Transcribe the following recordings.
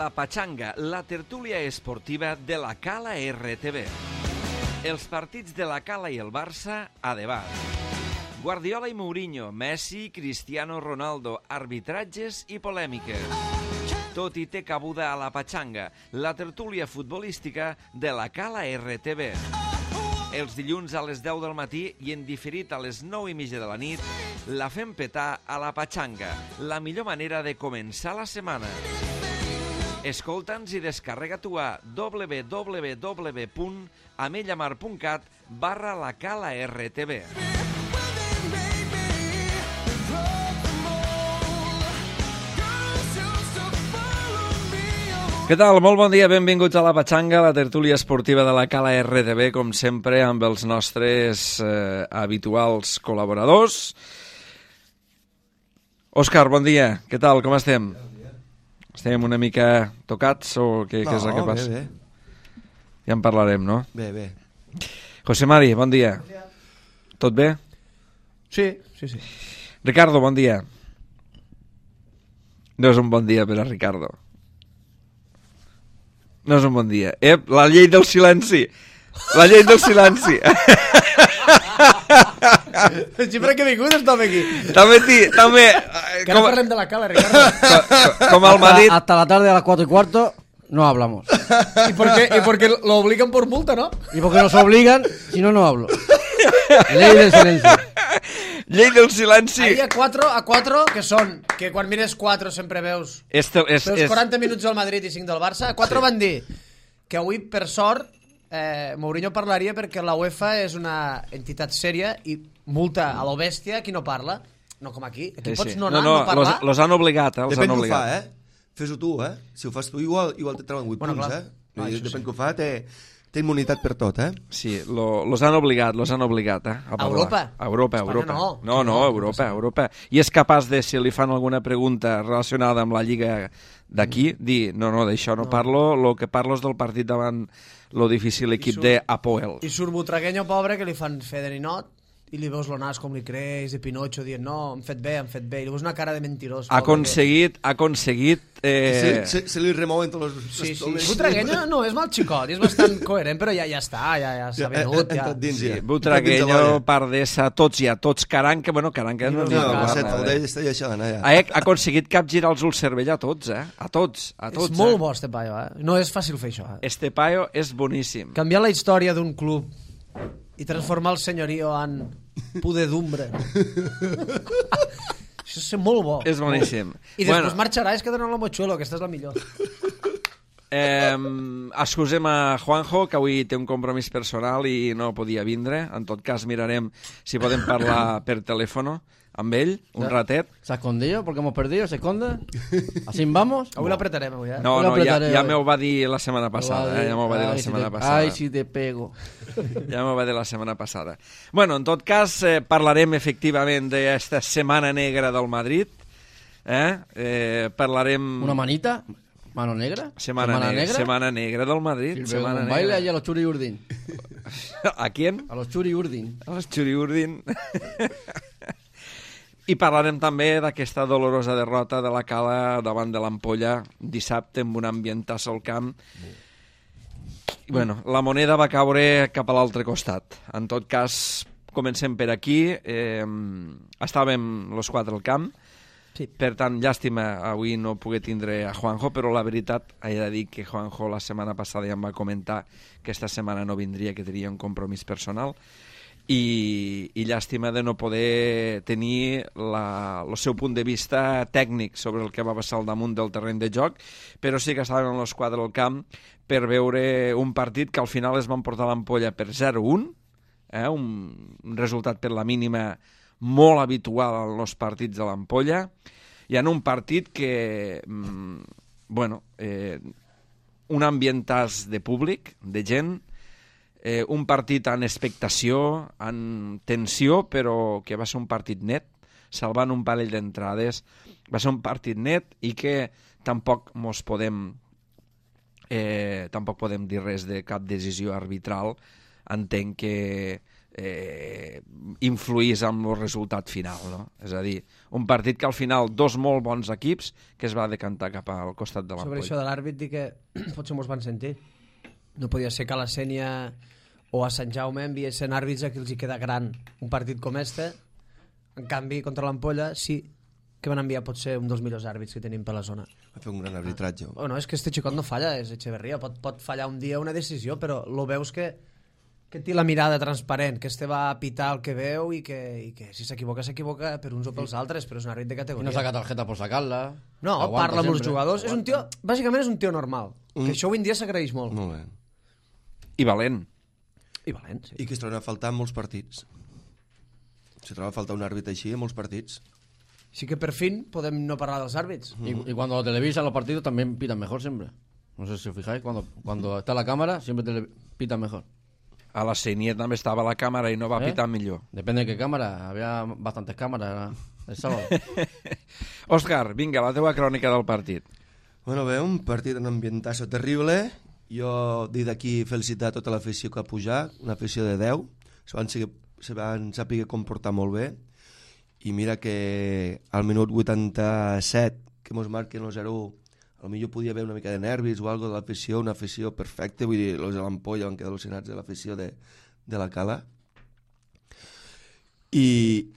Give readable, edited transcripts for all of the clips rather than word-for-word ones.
La Pachanga, la tertúlia esportiva de la Cala RTV. Els partits de la Cala i el Barça a debat. Guardiola i Mourinho, Messi, Cristiano Ronaldo, arbitratges i polèmiques. Tot hi té cabuda a La Pachanga, la tertúlia futbolística de la Cala RTV. Els dilluns a les 10 del matí i en diferit a les 9:30 de la nit, la fem petar a La Pachanga, la millor manera de començar la setmana. Escolta'ns i descarrega-t'ho a www.amellamar.cat/lacala-rtv. Què tal? Molt bon dia, benvinguts a La Pachanga, la tertúlia esportiva de la Cala RTV, com sempre, amb els nostres habituals col·laboradors. Òscar, bon dia. Què tal? Com estem? Estem una mica tocats o què és el que passa? Bé. Ja en parlarem, no? Bé. José Mari, bon dia. Bon dia. Tot bé? Sí. Ricardo, bon dia. No és un bon dia per a Ricardo. No és un bon dia. La llei del silenci. La llei del silenci. Sempre que he vingut estava aquí. També. Que no parlem de la Cala, Ricardo. Com el Madrid. Hasta la tarde a las 4:15 no hablamos. ¿Y por qué lo obligan por multa, no? Y porque nos obligan, si no, no hablo. Ley del silencio. Llei del silenci. Ahí a 4, que són, que quan mires 4 sempre veus És 40 minuts del Madrid i 5 del Barça. A 4 van dir que avui, per sort, Mourinho parlaria perquè la UEFA és una entitat sèria i multa a lo bèstia qui no parla. No com aquí. Aquí pots no anar, no parlar. Los han obligat, els Depèn han que ho fa, obligat. Fes-ho tu, Si ho fas tu, igual te treuen 8 punts, clar. Depèn que ho fa, té immunitat per tot, Sí, los han obligat, a parlar. A Europa? A Europa. Espanya no. No, Europa. I és capaç de, si li fan alguna pregunta relacionada amb la Lliga d'aquí, dir, no, d'això no parlo, lo que parlo és del partit davant lo difícil equip d'Apoel. I surt Butragueño, pobre, que li fan fer de ninot, i li veus lo nas com li creix, de Pinocho, dient, no, han fet bé, i li veus una cara de mentirós. Ha aconseguit... Se li remouen tots els... Sí. Butragueño no és mal xicot, és bastant coherent, però ja està, ja s'ha venut. Ja. Sí, Butragueño, Pardesa, tots, Caranca, Caranca no n'hi ha. Ha aconseguit capgirar els ulls cervell a tots, A tots. És molt bo, este paio, No és fàcil fer això, Este paio és boníssim. Canviar la història d'un club i transformar el senyorio en pudedumbre. Això és molt bo. És boníssim. I després marxarà, es quedarà en la Mochuelo, aquesta és la millor. Excusem a Juanjo, que avui té un compromís personal i no podia vindre. En tot cas, mirarem si podem parlar per telèfon amb ell, un ratet. ¿Se ha escondido porque hemos perdido? ¿Se esconde? ¿Así vamos? Avui l'apretarem, avui, No, ja m'ho va dir la setmana passada. Ai, si te pego. Ja m'ho va dir la setmana passada. Bueno, en tot cas, parlarem efectivament d'esta setmana negra del Madrid. Parlarem... ¿Una manita? ¿Mano negra? Semana negra del Madrid. Un baile allá a los Churi Urdin. ¿A quién? A los Churi Urdin. A los Churi Urdin. I parlarem també d'aquesta dolorosa derrota de la Cala davant de l'Ampolla dissabte amb un ambientàs al camp. I, la moneda va caure cap a l'altre costat. En tot cas, comencem per aquí. Estàvem los 4 al camp. Sí. Per tant, llàstima avui no poder tindre a Juanjo, però la veritat, he de dir que Juanjo la setmana passada ja em va comentar que esta setmana no vindria, que tenia un compromís personal. I llàstima de no poder tenir el seu punt de vista tècnic sobre el que va passar al damunt del terreny de joc, però sí que estàvem els 4 al camp per veure un partit que al final es van portar l'Ampolla per 0-1, un resultat per la mínima molt habitual en els partits de l'Ampolla, i en un partit que, un ambientàs de públic, de gent, un partit en expectació, en tensió, però que va ser un partit net, salvant un parell d'entrades. Va ser un partit net i que tampoc podem dir res de cap decisió arbitral. Entenc que influís amb el resultat final, no? És a dir, un partit que al final dos molt bons equips que es va decantar cap al costat de l'Ampolla. Sobre això de l'àrbit, dic que potser mos van sentir. No podia ser que a la Sénia o a Sant Jaume enviessin àrbits a qui els hi queda gran un partit com este. En canvi, contra l'Ampolla sí que van enviar potser un dels millors àrbits que tenim per la zona. Va fer un gran arbitratge. Bueno, és que este xicot no falla, és Echeverría. Pot fallar un dia una decisió, però lo veus que té la mirada transparent, que este va a pitar el que veu i que si s'equivoca, s'equivoca per uns o pels altres, però és un àrbit de categoria. I no saca tarjeta por sacarla. No, parla amb els jugadors. Aguanta. És un tio, bàsicament és un tio normal, que això avui en dia s'agraeix molt. Molt bé. I valent. I valent, sí. I que es troben a faltar en molts partits. Se troba a faltar un àrbit així en molts partits. Sí que per fin podem no parlar dels àrbits. Y cuando lo televisan los partidos también pitan mejor siempre. No sé si os fijáis, cuando está la cámara siempre pitan mejor. A la Sénia també estava la càmera i no va pitar millor. Depende de qué cámara. Había bastantes cámaras el sábado. Òscar, vinga, la teva crònica del partit. Bueno, bé, un partit en ambientazo terrible. Jo dic d'aquí felicitar tota l'afició que ha pujat, una afició de 10. Se van saber comportar molt bé. I mira que al minut 87, que mos marquen el 0-1, potser podia haver una mica de nervis o alguna de l'afició, una afició perfecta, vull dir, els de l'Ampolla van quedar al·lucinats de l'afició de la Cala. I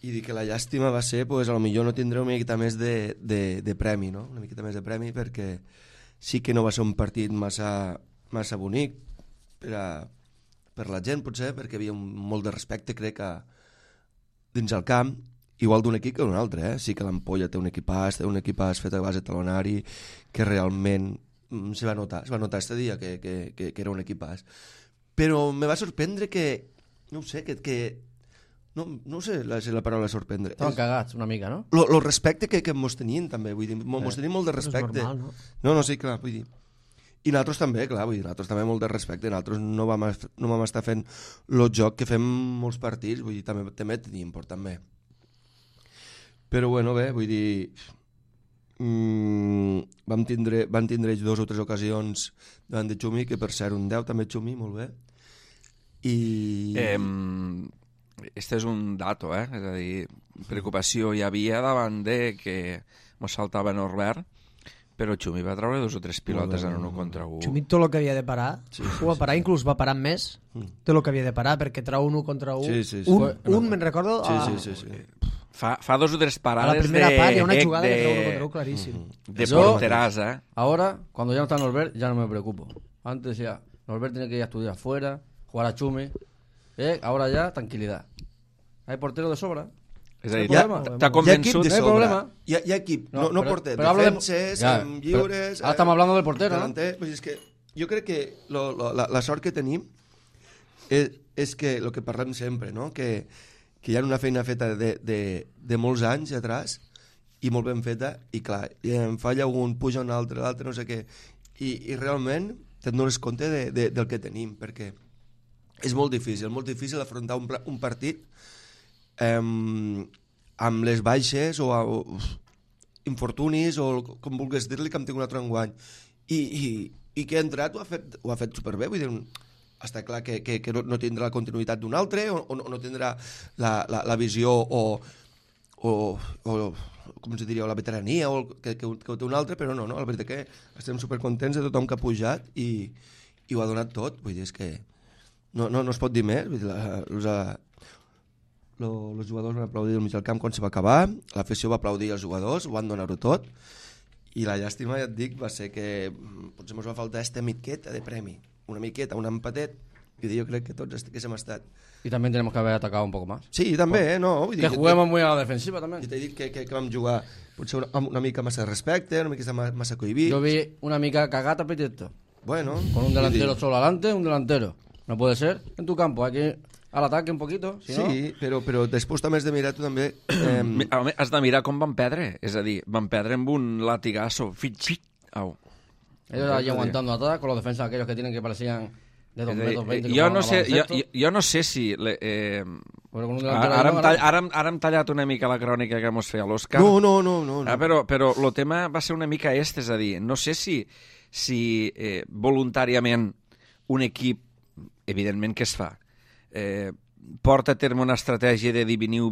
dir que la llàstima va ser, pues, potser no tindré una miqueta més de premi, no? Una miqueta més de premi, perquè sí que no va ser un partit massa bonic per la gent, potser, perquè hi havia molt de respecte, crec, dins el camp, igual d'un equip que d'un altre, Sí que l'Ampolla té un equipàs fet a base talonari, que realment se va notar este dia que era un equipàs. Però me va sorprendre que, no ho sé, no sé si la paraula sorprendre. Estaven cagats una mica, no? Lo respecte que mos tenien, també, vull dir, mos tenien molt de respecte. És normal, no? No, sí, clar, vull dir. I nosaltres també, clar, vull dir, nosaltres també molt de respecte, nosaltres no vam estar fent el joc que fem molts partits, vull dir, també teníem por, també. Però bueno, bé, vull dir, van tindre ells 2 o 3 ocasions davant de Xumi, que per ser un 10 també Xumi, molt bé. I... Este és un dato, És a dir, preocupació hi havia davant de que mos saltava Norbert, però Xumi va treure 2 o 3 pilotes en 1 contra 1. Xumi tot el que havia de parar, ho va parar, inclús va parar més tot el que havia de parar, perquè treu 1 contra 1. Sí. Un me'n recordo... Sí. Fa 2 o 3 parades a la primera part hi ha una jugada que treu 1 contra 1 claríssim. De porteràs, Ahora, cuando ya no está Norbert, ya no me preocupo. Antes ya, Norbert tiene que ir a estudiar afuera, jugar a Xumi. Ahora ya, tranquilidad. Hay portero de sobra. És a dir, No t'ha convençut... de no hay sobra. problema. Hi ha equip, no pero- porter, pero hablo de- defenses, Ya, lliures... ahora estamos hablando del portero, ¿no? delanter, pues és que jo crec que la sort que tenim és que el que parlem sempre, no? Que hi ha una feina feta de molts anys atrás i molt ben feta, i clar, en falla un, puja un altre, l'altre no sé què, i realment te'n dones compte del que tenim, perquè és molt difícil afrontar un partit amb les baixes o infortunis o com vulguis dir-li, que hem tingut un altre enguany i que ha entrat ho ha fet superbé, vull dir, està clar que no tindrà la continuïtat d'un altre o no tindrà la visió o com se diria, o la veterania o que té un altre, però no, la veritat que estem supercontents de tothom que ha pujat i ho ha donat tot, vull dir, és que no es pot dir més, vull dir, els jugadors van aplaudir al mig del camp quan se va acabar, l'afició va aplaudir els jugadors, ho van donar-ho tot, i la llàstima, ja et dic, va ser que potser ens va faltar esta miqueta de premi, una miqueta, un empatet, i jo crec que tots que hem estat. Y también tenemos que haber atacado un poco más. Sí, també, no? Vull dir, Que juguemos muy a la defensiva también. Jo t'he dit que vam jugar potser una mica massa de respecte, una mica massa cohibit. Yo vi una mica cagata petito. Bueno. Con un delantero solo adelante, un delantero. No puede ser. En tu campo hay que ir al ataque un poquito. Si Sí, però després també has de mirar tu també... Has de mirar com van perdre. És a dir, van perdre amb un latigazo. Au. Ellos allí aguantando atrás con los defensas aquellos que tienen que parecían de 2 metros 20. Jo no sé si... Pero con un delantero Ara hem tallat una mica la crònica que mos feia l'Òscar. No. Però el tema va ser una mica és a dir, no sé si voluntàriament un equip, evidentment que es fa, porta a terme una estratègia de dir veniu,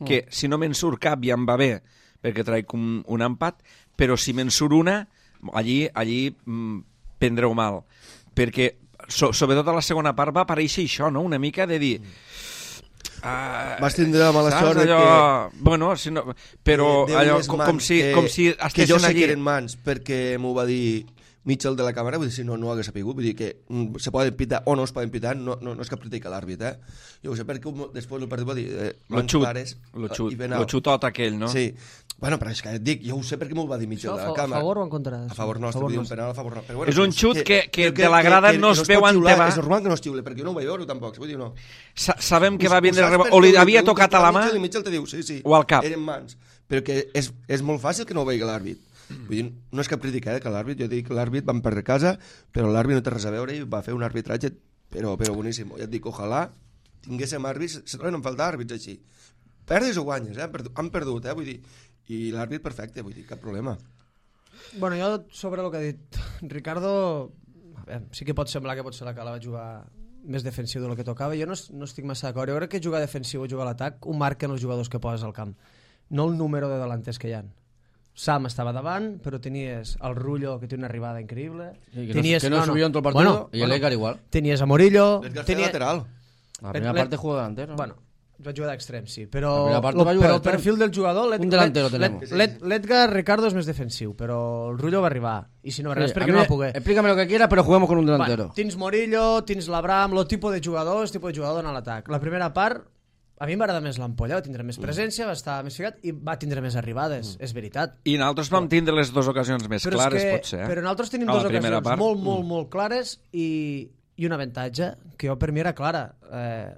que si no me'n surt cap ja em va bé, perquè traic un empat, però si me'n surt una, allí prendreu mal. Perquè, sobretot a la segona part, va aparèixer això, no? Una mica de dir... Vas tindre la mala sort allò... que... Bueno, si no... però allò, com si que jo estiguessin sé allí... que eren mans, perquè m'ho va dir Mitchell de la càmera, vull dir, si no ho hagués sapigut, vull dir que se poden pitar o no es poden pitar, no és cap crítica a l'àrbit, Jo ho sé perquè després el partit va dir mans clares... Lo xutot aquell, no? Sí. Bueno, però és que et dic, jo ho sé perquè m'ho va dir Mitchell de la càmera. A favor o en contra? A favor nostre, vull dir un penal a favor nostre. Però bueno, és un xut que de la grada no es veu on te va. És normal que no es xiule, perquè jo no ho vaig veure tampoc, vull dir, no. Sabem que va vindre... O li havia tocat a la mà... I Mitchell te diu, sí, o al cap. Eren mans. Però que és molt fàcil que no ho vegi l'àrbit. Vull dir, no és cap crítica, que l'àrbit, jo dic que l'àrbit van perdre casa, però l'àrbit no té res a veure i va fer un arbitratge, però boníssim. Ja et dic, ojalà tinguéssim àrbits, se troben a faltar àrbits així. Perdes o guanyes, han perdut, vull dir, i l'àrbit perfecte, vull dir, cap problema. Bueno, jo sobre el que ha dit Ricardo, a veure, sí que pot semblar que potser la Cala va jugar més defensiu del que tocava. Jo no estic massa d'acord. Jo crec que jugar defensiu o jugar a l'atac ho marquen els jugadors que poses al camp, no el número de delanters que hi ha. Sam estava davant, però tenies el Rullo, que té una arribada increïble. Sí, que no subió en tot el partido, i l'Edgar igual. Tenies a Morillo. L'Edgar feia lateral. La primera parte jugó delantero. Bueno, va jugar d'extrem, sí, però el perfil del jugador... Un delantero tenemos. L'Edgar Ricardo és més defensiu, però el Rullo va arribar. I si no va arribar és perquè no va poder. Explícame lo que quiera, pero juguemos con un delantero. Bueno, tens Morillo, tens l'Abraham, el tipus de jugador en l'atac. La primera part... A mi m'agrada més l'Ampolla, va tindre més presència, va estar més ficat i va tindre més arribades, és veritat. I nosaltres vam tindre les dues ocasions més clares, potser. Però nosaltres tenim dues ocasions molt clares i un avantatge que jo per mi era clara.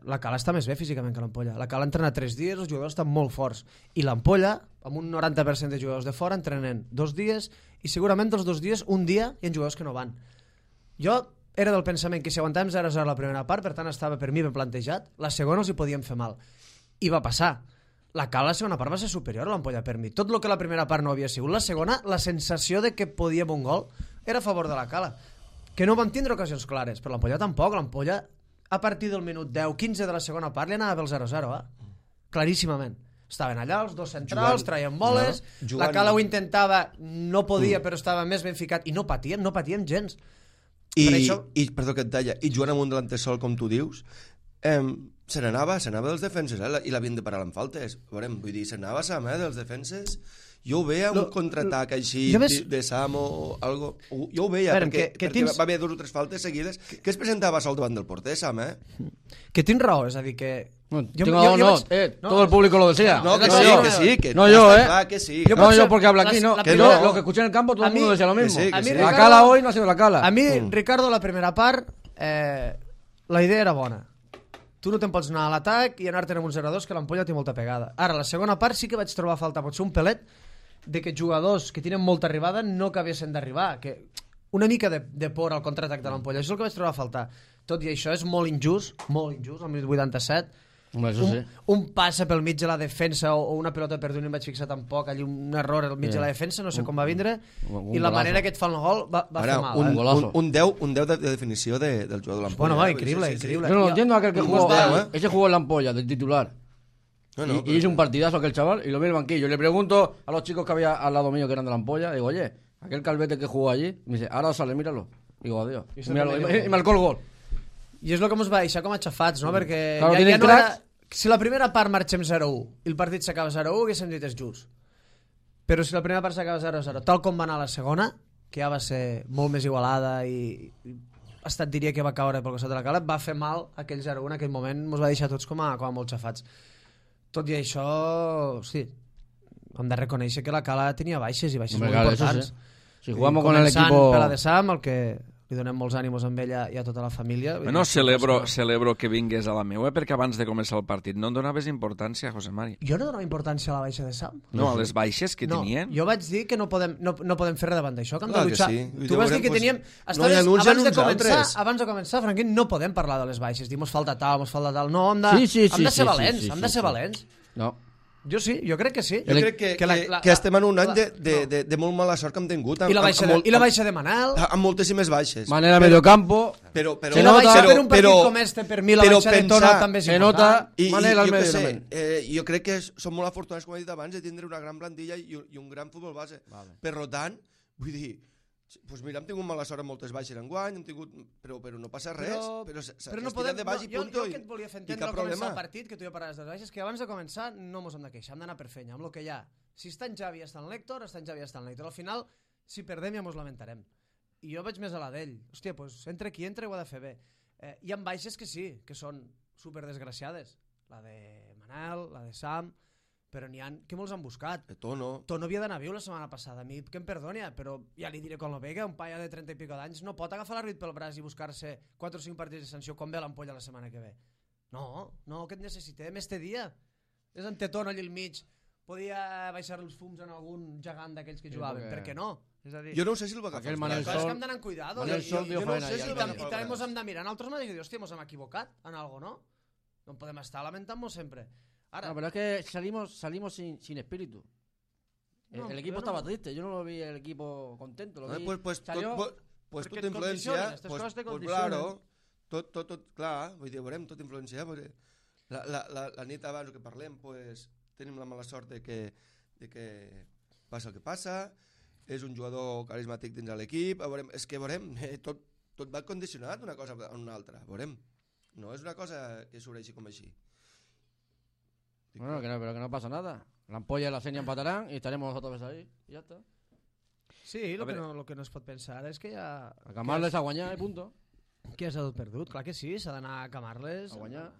La Cala està més bé físicament que l'Ampolla. La Cala entrena 3 dies, els jugadors estan molt forts. I l'Ampolla, amb un 90% de jugadors de fora, entrenen 2 dies i segurament dels 2 dies, un dia hi ha jugadors que no van. Jo era del pensament que si aguantàvem 0-0 la primera part, per tant estava per mi ben plantejat, la segona els hi podíem fer mal. I va passar. La Cala la segona part va ser superior a l'Ampolla per mi. Tot el que la primera part no havia sigut. La segona, la sensació de que podíem un gol era a favor de la Cala. Que no vam tindre ocasions clares, però l'Ampolla tampoc. L'Ampolla, a partir del minut 10-15 de la segona part, li anava pel 0-0, claríssimament. Estaven allà, els dos centrals, traien boles, la Cala ho intentava, no podia, però estava més ben ficat, i no patíem gens. I perdó que et talla, i jugant amb un delanter sol com tu dius, se n'anava dels defenses, i l'havien de parar amb faltes. Veurem, vull dir, se n'anava Sam dels defenses. Jo ho veia un contraatac així de Sam o algo. Jo ho veia, perquè va haver 2 o 3 faltes seguides que es presentava sol davant del porter, Sam, Que tens raó, és a dir, que... todo el público lo decía. No, que sí, que no yo, que sí. No yo porque habla aquí, no. Lo que escuché en el campo todo el mundo decía lo mismo. La Cala hoy no ha sido la Cala. A mi, Ricardo, la primera part, la idea era bona. Tu no te'n pots anar a l'atac i anar-te'n amb un 0-2, que l'Ampolla té molta pegada. Ara, la segona part sí que vaig trobar a falta, potser un pelet, de que jugadors que tenen molta arribada no acabessin d'arribar, que una mica de por al contraatac de l'Ampolla. Això és el que vaig trobar a faltar. Tot i això és molt injust, al minut 87. Un passa pel mig de la defensa o una pelota perduda, no em vaig fixar tampoc, allí un error al mig de la defensa, no sé com va vindre, i la manera que et fan el gol va fer mal. Un 10 de definició del jugador de l'Ampolla. Bueno, increíble. Yo no entiendo a aquel que jugó, ese jugó en la Ampolla, de titular. Y hizo un partidazo aquel chaval y lo vi en el banquillo. Le pregunto a los chicos que había al lado mío que eran de la Ampolla, digo, oye, aquel calvete que jugó allí, me dice, ahora sale, míralo. Digo, adiós. Y marcó el gol. I és el que ens va deixar com a xafats, no? Perquè claro, ja no era... Si la primera part marxem 0-1 i el partit s'acaba 0-1, haguéssim dit és just. Però si la primera part s'acaba 0-0, tal com va anar la segona, que ja va ser molt més igualada i ha estat, diria, que va caure pel costat de la Cala, va fer mal aquell 0-1 en aquell moment, ens va deixar tots com a molt xafats. Tot i això, hosti, hem de reconèixer que la Cala tenia baixes i baixes molt importants. Si jugamos con el equipo... Per la de Sam, el que li donem molts ànimos amb ella i a tota la família. Bueno, celebro que vingués a la meua, perquè abans de començar el partit no em donaves importància, José Mari. Jo no donava importància a la baixa de Sam. No, a les baixes que tenien. Jo vaig dir que no podem fer res davant d'això, que hem de luchar. Tu vas dir que teníem... Abans de començar, Franquín, no podem parlar de les baixes, dir, mos falta tal. No, hem de ser valents, No. Jo sí, jo crec que sí. Jo crec que estem en un any de molt mala sort que hem tingut. I la baixa de Manel. Amb moltíssimes baixes. Manel a mediocampo. Però la baixa per un partit com este, per mi la baixa de Tono també és important. Manel al mediocamp. Jo crec que som molt afortunats, com he dit abans, de tindre una gran plantilla i un gran futbol base. Per tant, vull dir, doncs mira, hem tingut mala sort amb moltes baixes enguany, però no passa res, però s'ha tirat de baix i punto. Jo que et volia fer entendre al començar el partit, que tu ja parlaves de les baixes, que abans de començar no mos hem de queixar, hem d'anar per feina, amb el que hi ha. Si està en Javi, està en l'Héctor, està en Javi, està en l'Héctor. Al final, si perdem ja mos lamentarem. I jo vaig més a la d'ell. Hòstia, doncs entre qui entra ho ha de fer bé. Hi ha baixes que sí, que són superdesgraciades. La de Manel, la de Sam... però n'hi ha que molts han buscat. Tono havia d'anar viu la setmana passada. A mi que em perdoni, però ja li diré con lo Vega, un paia de 30 i pico d'anys no pot agafar l'àrbit pel braç i buscar-se 4 o 5 partits de sanció com ve l'ampolla la setmana que ve. No, que et necessitem este dia. És en Tono allà al mig. Podia baixar els fums en algun gegant d'aquells que jugaven. Per què no? És a dir, jo no sé si el va agafar. És que hem d'anar amb cuidado. I també mos hem de mirar en altres mateixos i dir, hòstia, mos hem equivocat en algo, ¿no? No podem estar lamentant-nos sempre. Ahora, no, pero es que salimos sin espíritu. No, el equipo estaba triste, yo no lo vi el equipo contento. Pues tot influencia, claro, tot, clar, vull dir, veurem, tot influencia. La nit abans que parlem, pues, tenim la mala sort de que passa el que passa, és un jugador carismàtic dins de l'equip, és que veurem, tot va condicionat una cosa a una altra, veurem. No és una cosa que sureixi com així. Bueno, pero que no pasa nada. La ampolla y la Senia empatarán y estaremos nosotros ahí. Y ya está. Sí, lo que no es pot pensar és que ja... A Camarles a guanyar i punto. Que has tot perdut. Clar que sí, s'ha d'anar a Camarles a guanyar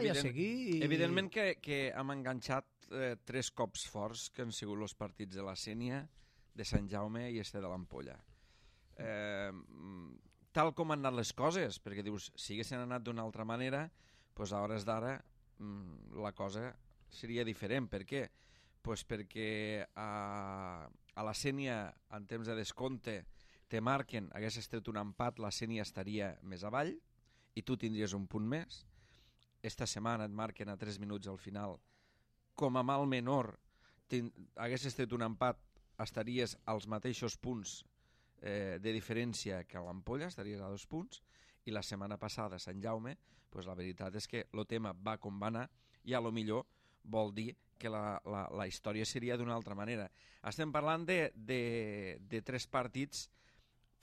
i a seguir. Evidentment que hem enganxat 3 cops forts que han sigut els partits de la Sènia, de Sant Jaume i este de l'Ampolla. Tal com han anat les coses, perquè dius, si haguessin anat d'una altra manera, doncs a hores d'ara la cosa seria diferent. Per què? Pues perquè a la Sènia, en temps de descompte, te marquen, hagués estat un empat, la Sènia estaria més avall i tu tindries un punt més. Esta setmana et marquen a 3 minuts al final. Com a mal menor, hagués estat un empat, estaries als mateixos punts de diferència que a l'Ampolla, estaries a 2 punts, i la setmana passada a Sant Jaume, pues la veritat és que el tema va com va anar i a lo millor vol dir que la història seria d'una altra manera. Estem parlant de 3 partits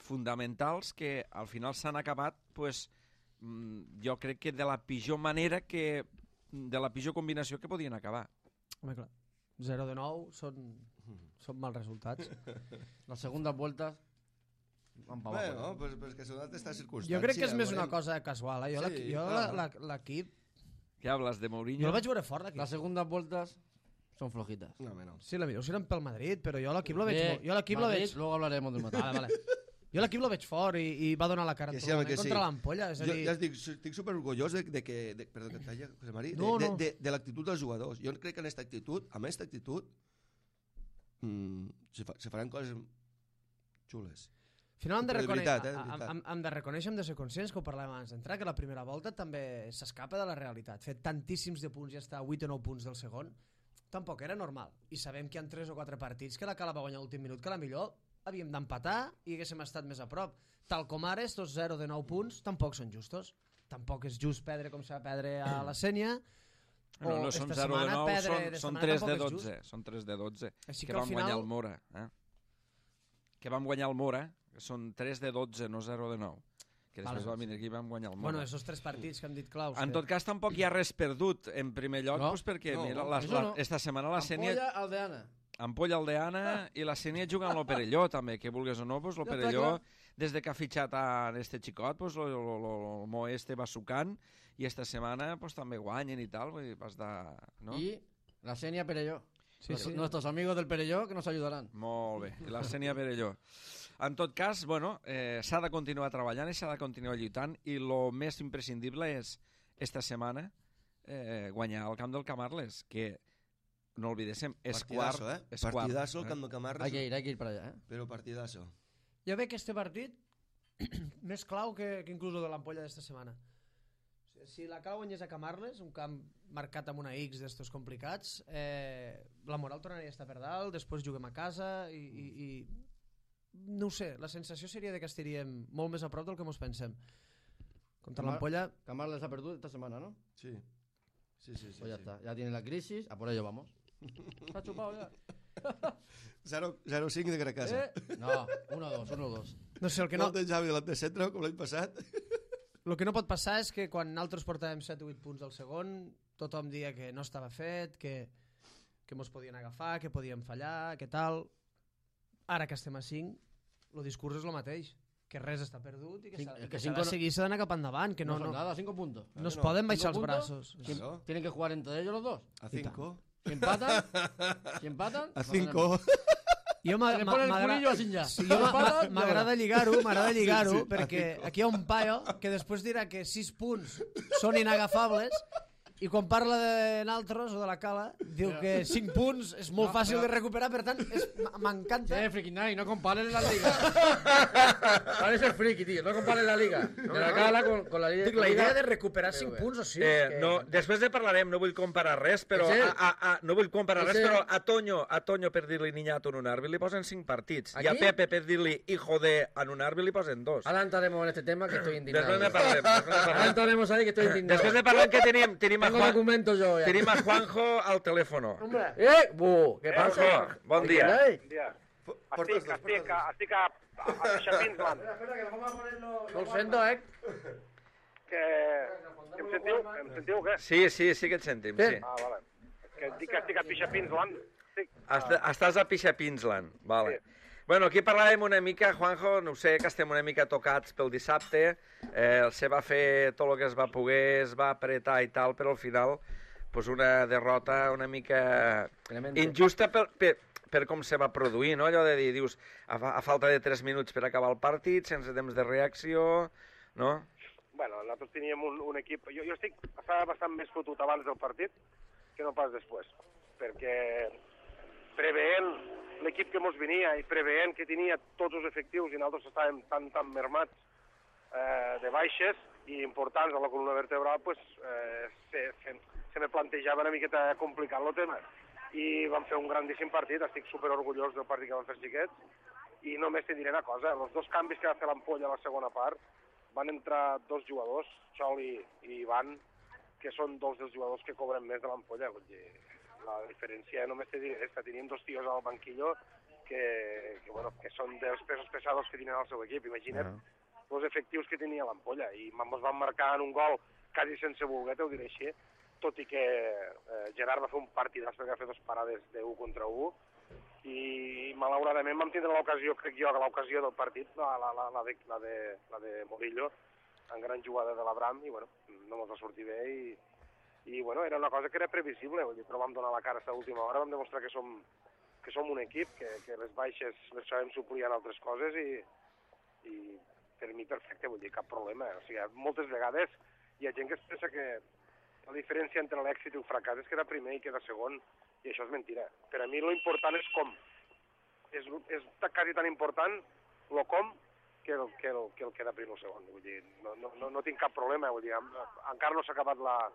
fonamentals que al final s'han acabat, pues, jo crec que de la pitjor manera, de la pitjor combinació que podien acabar. Home, clar, 0-9 són mals resultats. Les segundes voltes bueno, pues que són d'altres circumstàncies. Jo crec que és més una cosa casual. Jo l'equip... ¿Qué hablas de Mourinho? Jo el vaig veure fort d'aquí. Les segundes voltes són flojitas. No. Sí, la millor seran pel Madrid, però jo l'equip lo veig... Luego hablaremos del Madrid. Vale. Jo l'equip lo veig fort i va donar la cara contra l'Ampolla. Jo ja estic superorgullós perdó que et talla, José Mari, de l'actitud dels jugadors. Jo crec que amb aquesta actitud se faran coses xules. Al final hem de reconèixer, hem de ser conscients, que ho parlàvem abans d'entrar, que la primera volta també s'escapa de la realitat. Fer tantíssims de punts i estar a 8 o 9 punts del segon tampoc era normal. I sabem que hi ha 3 o 4 partits que la Cala va guanyar l'últim minut, que la millor havíem d'empatar i haguéssim estat més a prop. Tal com ara, estos 0 de 9 punts tampoc són justos. Tampoc és just perdre com s'ha de perdre a la Sènia. No són 0 de 9, són 3 de 12. Són 3 de 12 que vam guanyar el Mora. Que vam guanyar el Mora, que són 3 de 12, no 0 de 9. Que després vam venir aquí i vam guanyar el Mora. Bueno, esos 3 partits que hem dit claus. En tot cas, tampoc hi ha res perdut, en primer lloc, perquè esta setmana la Sènia... Ampolla Aldeana. Ampolla Aldeana i la Sènia juguen amb l'Operelló, també, que vulguis o no, l'Operelló, des de que ha fitxat a este xicot, el Mo este va sucant, i esta setmana també guanyen i tal, vull dir, vas de... I la Sènia Perelló. Sí. Nuestros amigos del Perelló que nos ayudarán. Molt bé, i la Sènia Perelló. En tot cas, bueno, s'ha de continuar treballant i s'ha de continuar lluitant, i el més imprescindible és, esta setmana, guanyar el camp del Camarles, que, no olvidéssim, és quart. Partidazo el camp del Camarles. Hay que ir para allá, Però partidazo. Jo veig que este partit més clau que inclús el de l'Ampolla d'esta setmana. Si la Cala guanyés a Camarles, un camp marcat amb una X d'estos complicats, la moral tornaria a estar per dalt, després juguem a casa i no ho sé, la sensació seria de que estaríem molt més a prop del que ens pensem. Contra l'Ampolla... Camarles ha perdut esta semana, ¿no? Sí. Sí. Pues ya está, ya tiene la crisis, a por ello vamos. Está chupado ya. 0-5 de Caracasa. No, 1-2. No sé, el que no... Molt de Javi de centre, com l'any passat. El que no pot passar és que quan nosaltres portàvem 7 o 8 punts al segon, tothom dia que no estava fet, que mos podien agafar, que podíem fallar, que tal... Ara que estem a 5, el discurs és el mateix, que res està perdut i que s'ha de seguir, s'ha d'anar cap endavant, que no nada, 5 puntos. No es poden baixar els braços. Tienen que jugar entre ellos los dos. A 5. Si empatan, a 5. M'agrada lligar-ho, perquè aquí hi ha un paio que després dirà que 6 punts són inagafables i quan parla de naltros o de la Cala diu que 5 punts és molt fàcil de recuperar, per tant m'encanta. Friki Night, no compares la liga. Vale ser friki, tío, no compares la liga de la Cala con la liga. La idea de recuperar 5 punts o 6 no, després de parlarem, no vull comparar res, però a Toño per dir-li niñato en un arbi li posen 5 partits i a Pepe per dir-li hijo de en un arbi li posen 2. Ahora entraremos en este tema que estoy indignado. Després ne parlem. Ahora entraremos ahí que estoy indignado. Després de parlar que tenim Tenim a Juanjo al telèfon. Què passa? Bon dia. Estic a Xapinsland. No el sento, Em sentiu o què? Sí que et sentim, sí. Vale. Que dic que estic a Pixapinsland. Estàs a Pixapinsland, vale. Bueno, aquí parlàvem una mica, Juanjo, no sé, que estem una mica tocats pel dissabte, se va fer tot el que es va poder, es va apretar i tal, però al final pues una derrota una mica injusta per com se va produir, no? Allò de dir, dius, a falta de 3 minuts per acabar el partit, sense temps de reacció, no? Bueno, nosaltres teníem un equip... Jo estava bastant més fotut abans del partit que no pas després, perquè preveient l'equip que mos venia i preveient que tenia tots els efectius i nosaltres estàvem tan mermats de baixes i importants a la columna vertebral, pues, se me plantejava una miqueta complicat el tema. I vam fer un grandíssim partit, estic super orgullós del partit que vam fer xiquets, i només te diré una cosa, els 2 canvis que va fer l'Ampolla a la segona part, van entrar 2 jugadors, Xoli i Ivan, que són 2 dels jugadors que cobren més de l'Ampolla, vull dir, la diferència només te diré que tenim 2 tios al banquillo que són dels pesos pesados que tenen al seu equip. Imagina't els efectius que tenia l'Ampolla i ens van marcar en un gol quasi sense voler, t'ho diré així, tot i que Gerard va fer un partidàs perquè va fer 2 parades de 1 contra 1 i malauradament vam tindre l'ocasió, crec jo, que l'ocasió del partit, la de Morillo, en gran jugada de l'Abram i bueno, no ens va sortir bé i bueno, era una cosa que era previsible, però vam donar la cara a l'última hora, vam demostrar que som un equip, que les baixes les sabem suplir en altres coses i per mi perfecte, vull dir, cap problema. O sigui, moltes vegades hi ha gent que es pensa que la diferència entre l'èxit i el fracàs és quedar primer i quedar segon, i això és mentira. Per a mi l'important és com. És quasi tan important el com que el quedar primer o segon. Vull dir, no tinc cap problema, vull dir, encara no s'ha acabat la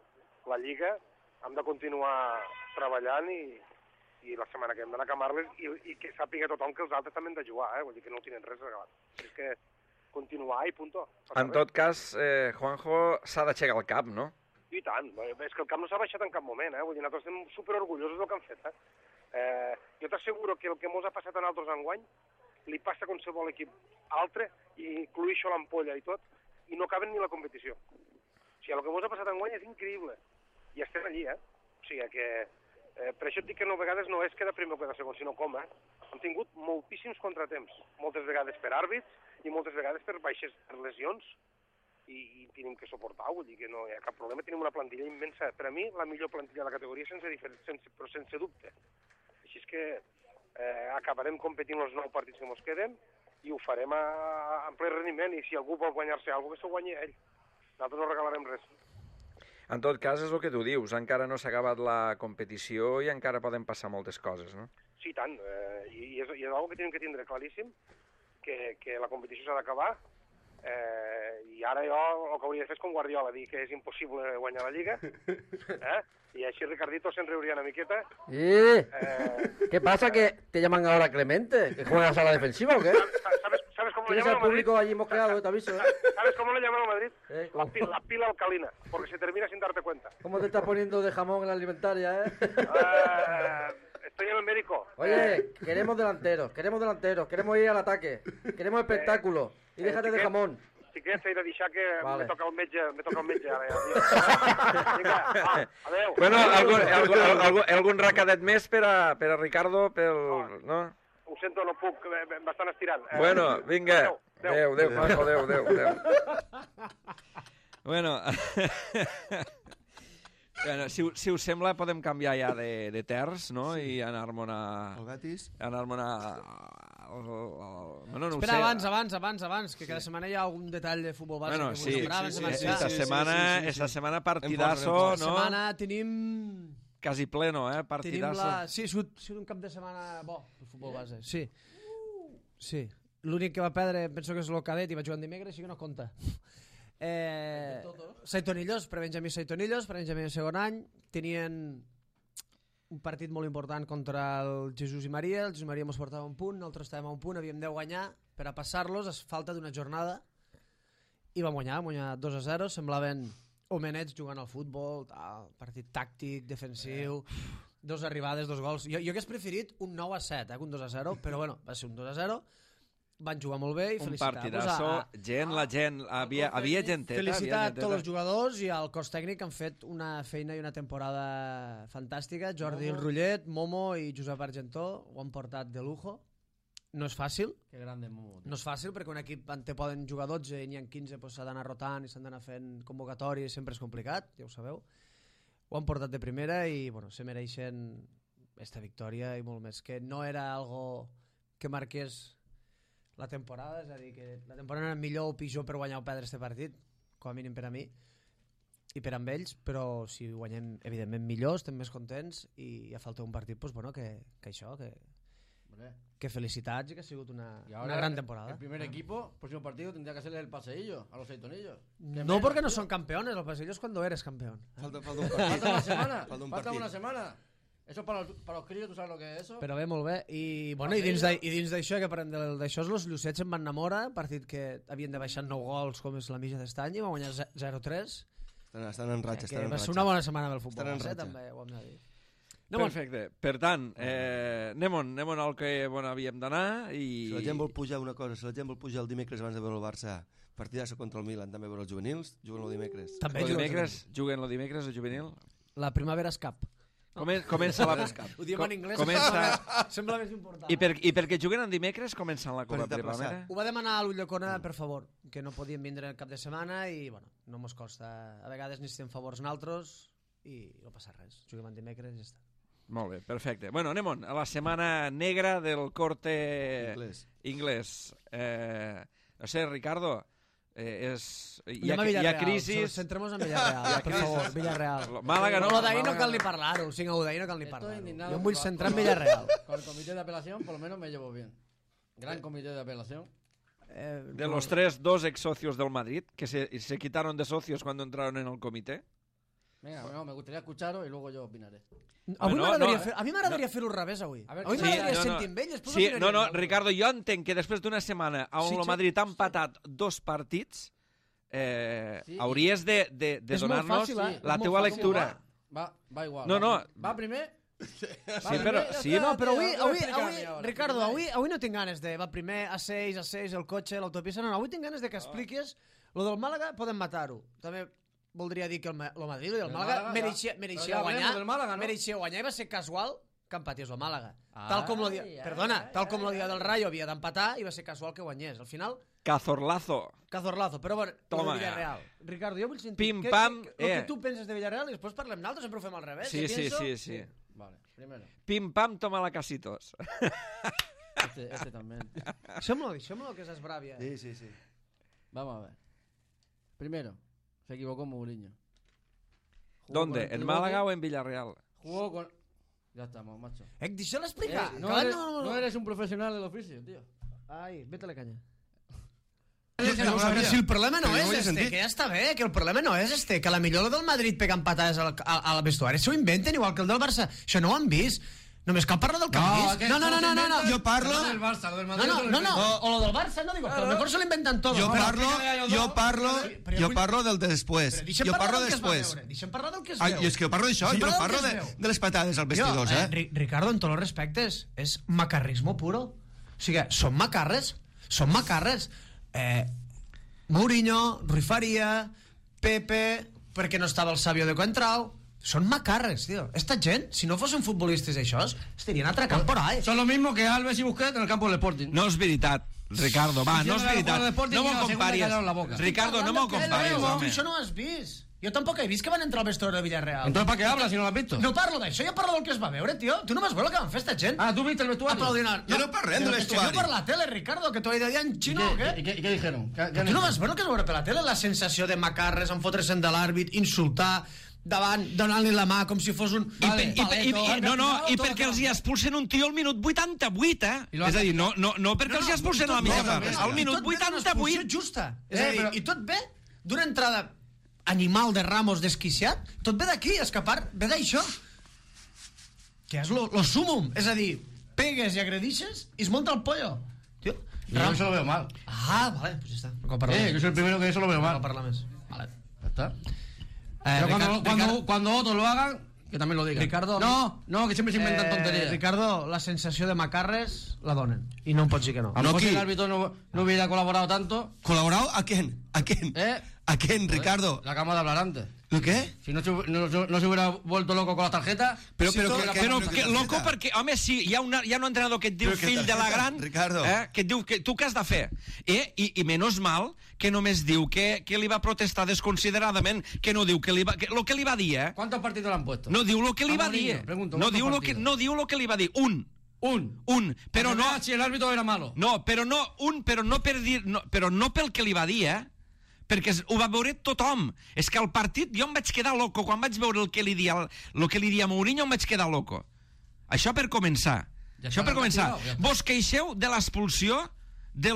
Lliga, hem de continuar treballant i la setmana que hem d'anar a Camarles i que sàpiga tothom que els altres també han de jugar, vull dir que no ho tenen res regalat. És que continuar i punto. En tot cas, Juanjo, s'ha d'aixecar el cap, no? I tant, és que el cap no s'ha baixat en cap moment, vull dir, nosaltres estem superorgullosos del que han fet, Jo t'asseguro que el que mos ha passat a nosaltres enguany li passa a qualsevol equip altre, i incluïixo l'Ampolla i tot, i no caben ni la competició. O sigui, el que mos ha passat enguany és increïble. I estem allí, O sigui que... per això et dic que a vegades no és quedar primer o quedar segon, sinó com, Hem tingut moltíssims contratemps. Moltes vegades per àrbits i moltes vegades per baixes, per lesions, i tenim que suportar, vull dir que no hi ha cap problema. Tenim una plantilla immensa. Per a mi, la millor plantilla de la categoria, però sense dubte. Així és que acabarem competint els 9 partits que ens queden i ho farem en ple rendiment, i si algú vol guanyar-se alguna cosa, que s'ho guanyi ell. Nosaltres no regalarem res. En tot cas, és el que tu dius, encara no s'ha acabat la competició i encara poden passar moltes coses, no? Sí, tant, i és una cosa que tenim que tindre claríssim, que la competició s'ha d'acabar I ara jo el que hauria de fer és com Guardiola, dir que és impossible guanyar la Lliga, y así Ricardito se riuría una miqueta. ¿Qué pasa? ¿Que te llaman ahora Clemente? ¿Que juegas a la defensiva o qué? ¿Sabes cómo lo Tienes llaman al a Madrid? público allí mosqueado, te aviso. ¿Sabes cómo lo llaman a Madrid? ¿Cómo? La pila alcalina, porque se termina sin darte cuenta. ¿Cómo te estás poniendo de jamón en la alimentaria, Estoy en el médico. Oye, queremos delanteros, queremos ir al ataque, queremos espectáculo. Y déjate de jamón. Si quieres, he de deixar que Vale. me toca el metge ara. Vinga, adeu. Bueno, algun recadet més per a Ricardo, no? Ho sento, no puc, bastant estirant. Bueno, vinga. Adeu, Juanjo, adeu. Bueno, bueno, si us sembla podem canviar ja de terç, no? I anar-me'n El Betis. Bueno, no Espera, ho sé. abans, que cada setmana hi ha algun detall de futbol bàsic Bueno, que sí, abans de marxar. esta setmana partidazo, Esta no? setmana tenim... Quasi pleno, Tenim partidazo. Sí, ha sigut un cap de setmana bo, el futbol base. Sí. Sí. L'únic que va perdre, penso que és el cadet, i va jugar en dimecres, així que no compta. Saitonillos, pre-Benjamí Saitonillos, pre-Benjamí de segon any, tenien un partit molt important contra el Jesús i Maria. El Jesús i Maria ens portava un punt, nosaltres estàvem a un punt, havíem de guanyar per a passar-los a falta d'una jornada, i vam guanyar 2-0, semblaven homenets jugant al futbol, partit tàctic, defensiu, 2 arribades, 2 gols. Jo hagués preferit un 9-7 que un 2-0, però bueno, va ser un 2-0. Van jugar molt bé i Un felicitar. partidazo, la gent, havia genteta. Felicitar a tots els jugadors i al cos tècnic que han fet una feina i una temporada fantàstica. Jordi Rullet, Momo i Josep Argentó ho han portat de lujo. No és fàcil. Qué grande Momo. No és fàcil perquè un equip on te poden jugar 12 i n'hi ha 15, doncs s'ha d'anar rotant i s'han d'anar fent convocatòries, sempre és complicat, ja ho sabeu. Ho han portat de primera i bueno, se mereixen esta victòria i molt més, que no era algo que marqués la temporada, és a dir, que la temporada era millor o pitjor per guanyar o perdre este partit, com a mínim per a mi i per amb ells, però si guanyem evidentment millor, estem més contents i ja falta un partit, doncs bueno, que això, que felicitats i que ha sigut una gran temporada. El primer equipo, próximo partido, tendría que hacerle el paseillo a los Saitonillos. No, porque no son campeones, los paseillos cuando eres campeón. Falta un partit. Falta una semana. Falta una semana. Eso para los críos, ¿tú sabes lo que es eso? Però bé, molt bé. I, bueno, i dins d'això, que parlem d'això, els Llucets em van enamorar, partit que havien de baixar 9 gols, com és la mitja d'estany, i va guanyar 0-3. Estan en ratxa, estan en ratxa. Va ser una bona setmana pel futbol, també ho hem de dir. Perfecte. Per tant, anem al que havíem d'anar i... Si la gent vol pujar una cosa, si la gent vol pujar el dimecres abans de veure el Barça, partidasso contra el Milan, també veure els juvenils, juguen el dimecres. Juguen el dimecres el juvenil? La primavera és cap. Comença la... Ho diem en anglès, sembla més important. I perquè juguen en dimecres comencen la Copa Primavera? Ho va demanar a l'Ullacona, per favor, que no podien vindre el cap de setmana i, bueno, no mos costa. A vegades necessitem favors naltros i no passa res. Juguem en dimecres i ja està. Molt bé, perfecte. Bueno, anem a la setmana negra del corte inglès. No sé, Ricardo, hi ha crisis... Centremos en Villarreal, per favor, Villarreal. Málaga no, d'ahir no cal ni parlar-ho, el 5-1 d'ahir no cal ni parlar-ho. Jo em vull centrar en Villarreal. Con el comité de apelación, por lo menos me llevo bien. Gran comité de apelación. De los 2 ex socios del Madrid, que se quitaron de socios cuando entraron en el comité. Venga, bueno, me gustaría escucharos y luego yo opinaré. A mi m'agradaria fer-ho al revés avui. Avui m'agradaria sentir amb ell. Sí, no, Ricardo, jo entenc que després d'una setmana on el Madrid ha empatat 2 partits, hauries de donar-nos la teua lectura. Va igual. No. Va primer... No, però avui Ricardo, avui no tinc ganes de va primer a 6, el cotxe, l'autopista. No, avui tinc ganes de que expliquis lo del Màlaga, podem matar-ho. També voldria dir que el Madrid i el Màlaga mereixia guanyar i va ser casual que empatés el Màlaga. Tal com el dia del Rayo havia d'empatar i va ser casual que guanyés. Al final... Cazorlazo, però bueno, toma, Villarreal. Ricardo, jo vull sentir pim-pam, el que tu penses de Villarreal i després parlem nosaltres, sempre ho fem al revés. Sí. Vale, primero. Pim-pam, toma la casitos. Este también. Deixémoslo que es bravia. Sí. Vamos a ver. Primero, se equivocó Mourinho. ¿Dónde? ¿En Málaga o en Villarreal? Jugó con... Ya estamos, macho. Deixa-la explicar. No eres un profesional del oficio, tío. Ai, vete a la canya. Si el problema no és que ja està bé, que el problema no és que a la millor el del Madrid pegant patades al vestuari s'ho inventen igual que el del Barça. Això no ho han vist. Només cal parlar del que han vist. No. Jo parlo... No. O lo del Barça, no digo, que a lo mejor se lo inventan todo. Jo parlo del després. Jo parlo després. Deixa'm parlar del que es veu. És que jo parlo d'això, jo no parlo de les patades als vestidors, Ricardo, en tots els respectes, és macarrismo puro. O sigui, són macarres. Mourinho, Rui Faria, Pepe, perquè no estava el Sabio de Coentrao. Són macarres, tío. Esta gent, si no fossin futbolistes d'aixòs, estarien atracant por ahí. Son lo mismo que Alves y Busquets en el campo del Sporting. No és veritat, Ricardo, va, no és veritat. No m'ho comparis. Ricardo, no m'ho comparis, home. Això no ho has vist. Yo tampoco he visto que van a entrar al vestuario de Villarreal. Entonces, ¿para qué hablas si no lo has visto? No parlo d'això, jo parlo del que es va veure, tío. Tu no vas veure el que van fer esta gent. Ah, ¿tú viste el vestuario? Aplaudint. Jo no parlem del vestuari. Jo per la tele, Ricardo, que t'ho he dit en xino o què? ¿Y qué dijeron? Tu no vas veure el que es va veure per la tele? La sensació de macarres, enfotre's de l'àrbit, insultar, davant, donant-li la mà com si fos un... I perquè els hi expulsen un tio al minut 88, És a dir, no perquè els hi expulsen a la mitja part, al minut 88. Justa. És a dir, i tot ve d'una entrada animal de Ramos desquiciat, tot ve d'aquí, escapar, ve d'això. Que és lo sumum. És a dir, pegues i agredixes i es monta el pollo. Tío, yo eso lo veo mal. Ah, vale, pues ya está. Yo soy el primero que eso lo veo mal. No parla més. Vale. Ya está. Cuando otros lo hagan, que también lo digan. Ricardo, no, que siempre se inventan tonterías. Ricardo, la sensació de macarres la donen. I no em pots dir que no. A lo mejor si el árbitro no hubiera colaborado tanto. ¿Colaborado? ¿A quién? ¿A quién, Ricardo? La acabamos de hablar antes. ¿Lo qué? Si no se hubiera vuelto loco con las tarjetas... Però loco perquè, home, sí, hi ha un entrenador que et diu fill de la gran, que et diu que tu què has de fer? I menos mal que només diu que li va protestar desconsideradament, que no diu lo que li va dir, ¿Cuántos partidos le han puesto? No diu lo que li va dir. No diu lo que li va dir. Un, però no... Si el árbitro era malo. No, però no per dir... Però no pel que li va dir, perquè ho va veure tothom. És que al partit jo em vaig quedar loco. Quan vaig veure el que li dia Mourinho em vaig quedar loco. Això per començar. Vos queixeu de l'expulsió de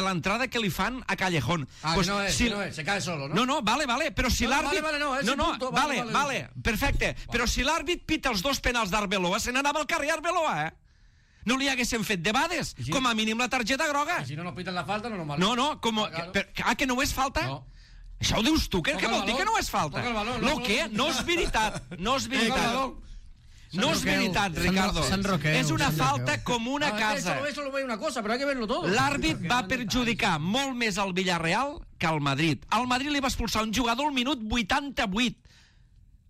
l'entrada que li fan a Callejón. Pues, no és, se cae solo, ¿no? No, vale, però si l'àrbit... Vale, perfecte. Però si l'àrbit pita els dos penals d'Arbeloa, se n'anava al carrer Arbeloa, No li haguessin fet debades, com a mínim la targeta groga. I si no nos piten la falta, no nos marca. No, que no és falta? No. Això ho dius tu, què vol dir que no és falta? Lo que? No és veritat. No és veritat, Ricardo. És una falta com una casa. Eso lo ve una cosa, pero hay que verlo todo. L'àrbit va perjudicar molt més al Villarreal que al Madrid. Al Madrid li va expulsar un jugador al minut 88.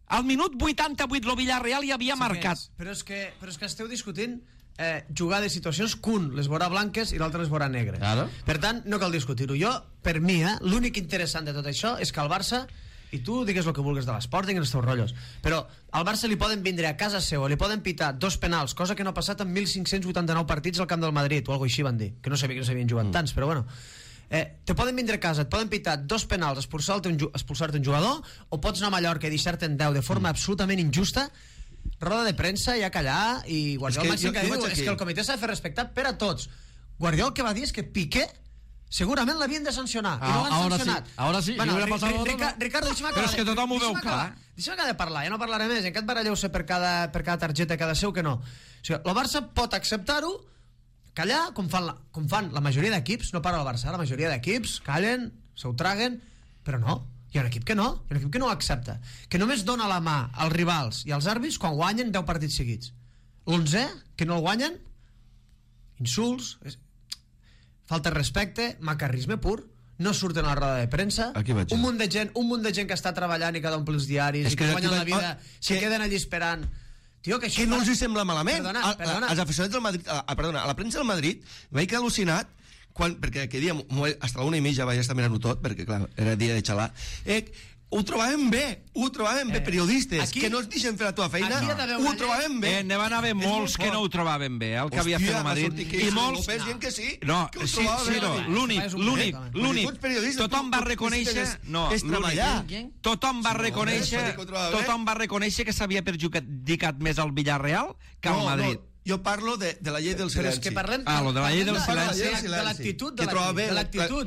Al minut 88 el Villarreal ja havia marcat. Però és que esteu discutint jugar de situacions que un les veurà blanques i l'altre les veurà negres. Claro. Per tant, no cal discutir-ho. Jo, per mi, l'únic interessant de tot això és que el Barça, i tu digues el que vulguis de l'Sporting i els teus rotllos, però al Barça li poden vindre a casa seva, li poden pitar 2 penals, cosa que no ha passat en 1.589 partits al camp del Madrid, o alguna així van dir, que no sabia que no s'havien jugat tants, però bueno. Te poden vindre a casa, et poden pitar 2 penals, expulsar-te un jugador, o pots anar a Mallorca i deixar-te en 10 de forma absolutament injusta, roda de premsa i a callar, i Guardiola màxim que diu és que el comitè s'ha de fer respectar per a tots. Guardiola el que va dir és que Piqué segurament l'havien de sancionar i no l'han sancionat. Ahora sí, bueno, Ricardo, deixa'm acabar. Però és que tothom ho veu clar. Deixa'm acabar de parlar, ja no parlaré més, en aquest baralleu-se per cada targeta, cada seu que no. O sigui, el Barça pot acceptar-ho, callar, com fan la majoria d'equips, no parla el Barça, la majoria d'equips callen, s'ho traguen, però no. Hi ha un equip que no, ho accepta, que només dona la mà als rivals i als àrbits quan guanyen 10 partits seguits. L'11, que no el guanyen, insults, falta de respecte, macarrisme pur, no surten a la roda de premsa, un munt de gent que està treballant i que omple els diaris i que guanyen la vida, se queden allí esperant. Tio, que no els sembla malament. Als aficionats del Madrid, a la premsa del Madrid vaig quedar al·lucinat perquè aquell dia hasta la 1:30 vaig estar mirant-ho tot perquè clar, era dia de xalar, ho trobàvem bé, periodistes que no es deixen fer la teva feina, ho trobàvem bé. N'hi van haver molts que no ho trobaven bé, el que havia fet el Madrid, i molts... que sí, l'únic, tothom va reconèixer tothom va reconèixer que s'havia perjudicat més al Villarreal que al Madrid. jo parlo de la llei del silenci. Però és que parlem... lo de la llei del silenci. De l'actitud,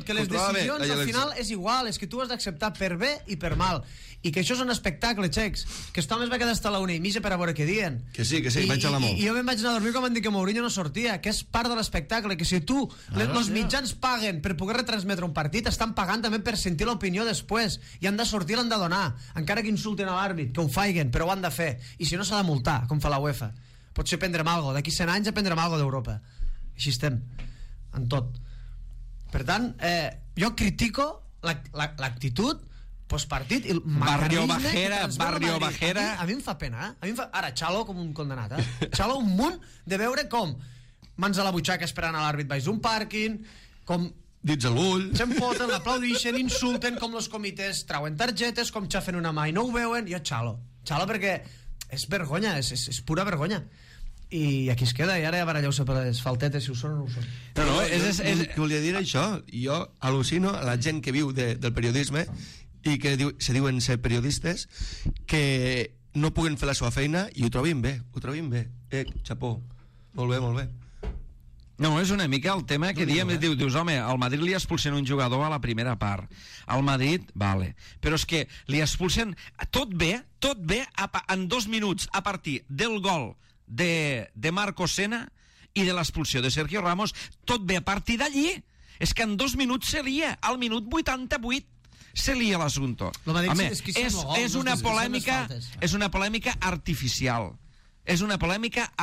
que les decisions al final és igual, és que tu has d'acceptar per bé i per mal, i que això és un espectacle, xecs, que aquest home es va quedar hasta la 1:30 per a veure què diuen. Que sí, vaig a l'amor. I jo me'n vaig anar a dormir quan van dir que Mourinho no sortia, que és part de l'espectacle, que si tu, els mitjans paguen per poder retransmetre un partit, estan pagant també per sentir l'opinió després, i han de sortir, l'han de donar, encara que insulten a l'àrbit, que ho faiguen, però ho han de fer, i si no s'ha de multar, com fa la UEFA. Potser prendrem alguna cosa, d'aquí 100 anys aprendrem alguna cosa d'Europa. Així estem, en tot. Per tant, jo critico l'actitud postpartit, el Barrio mecanisme Bajera. A mi em fa pena, ara Xalo com un condenat, Xalo un munt de veure com mans a la butxaca esperant a l'àrbit baix d'un pàrquing, com dits a l'ull, s'empoten, l'aplaudixen, insulten, com els comitès trauen targetes, com xafen una mà i no ho veuen. Jo Xalo perquè és vergonya, és pura vergonya. I aquí es queda, i ara ja baralleu-se per les faltetes, si ho són o no ho són. No, volia dir això. Jo al·lucino a la gent que viu del periodisme i que se diuen ser periodistes, que no puguen fer la seva feina i ho trobin bé. Xapó, molt bé. No, és una mica el tema que diem, dius, home, al Madrid li expulsen un jugador a la primera part, al Madrid, vale, però és que li expulsen tot bé, en 2 minuts a partir del gol de Marco Sena i de l'expulsió de Sergio Ramos, tot bé a partir d'allí, és que en 2 minuts se lia, al minut 88 se lia l'assumpte. Home, és una polèmica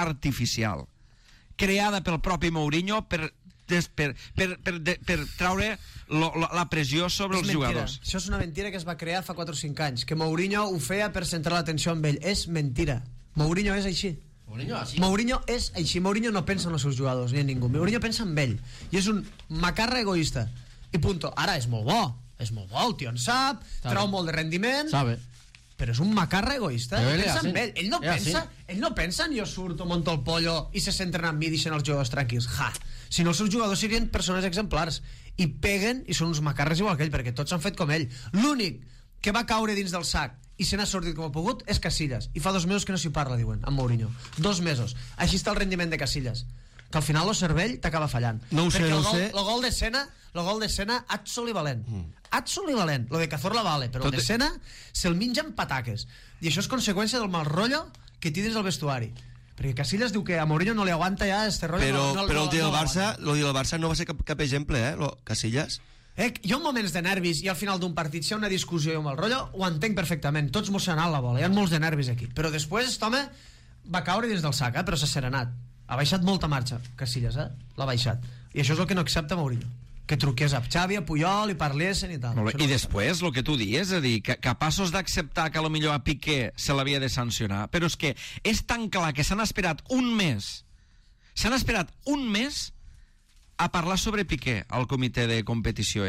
artificial, creada pel propi Mourinho per traure la pressió sobre els jugadors. Això és una mentira que es va crear fa 4 o 5 anys, que Mourinho ho feia per centrar l'atenció en ell. És mentira. Mourinho és així. Mourinho és així. Mourinho no pensa en els seus jugadors ni en ningú. Mourinho pensa en ell. I és un macarra egoista. I punto. Ara és molt bo, el tio en sap, trau molt de rendiment, però és un macarra egoista. Ell no pensa en jo surto, monto el pollo i se centren en mi i deixen els jugadors tranquils. Si no, els seus jugadors serien persones exemplars i peguen i són uns macarres igual que ell, perquè tots s'han fet com ell. L'únic que va caure dins del sac i se n'ha sortit com ha pogut és Casillas, i fa 2 mesos que no s'hi parla, diuen, amb Mourinho. 2 mesos. Així està el rendiment de Casillas, que al final el cervell t'acaba fallant. No ho sé. El gol de Sena absoli valent. Absoli valent. Lo de Cazorla vale, però el de Sena se'l menja amb pataques. I això és conseqüència del mal rotllo que té dins el vestuari. Perquè Casillas diu que a Mourinho no li aguanta ja este rotllo. Però el dia del Barça no va ser cap exemple, Casillas. Jo en moments de nervis i al final d'un partit, si hi ha una discussió i un mal rotllo, ho entenc perfectament, tots mos s'ha anat la bola, hi ha molts de nervis aquí, però després aquest home va caure dins del sac, però s'ha serenat, ha baixat molta marxa Casillas, l'ha baixat, i això és el que no accepta Mourinho, que truqués a Xavi, a Puyol i parlessin i tal. I després el que tu dius, és a dir, capaços d'acceptar que potser a Piqué se l'havia de sancionar, però és que és tan clar que s'han esperat un mes a parlar sobre Piqué al comitè de competició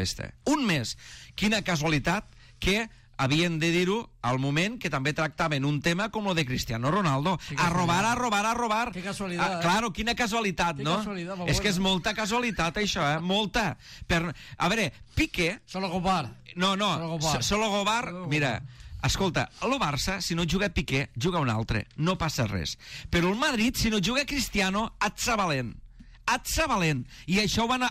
un mes. Quina casualitat que havien de dir-ho al moment que també tractaven un tema com el de Cristiano Ronaldo. A robar. Que casualitat, Claro, quina casualitat, no? És que és molta casualitat, això, molta. A veure, Piqué... Solo Gobar. No, Solo Gobar, mira... Escolta, el Barça, si no juga Piqué, juga un altre. No passa res. Però el Madrid, si no juga Cristiano, et sa valent. I això ho van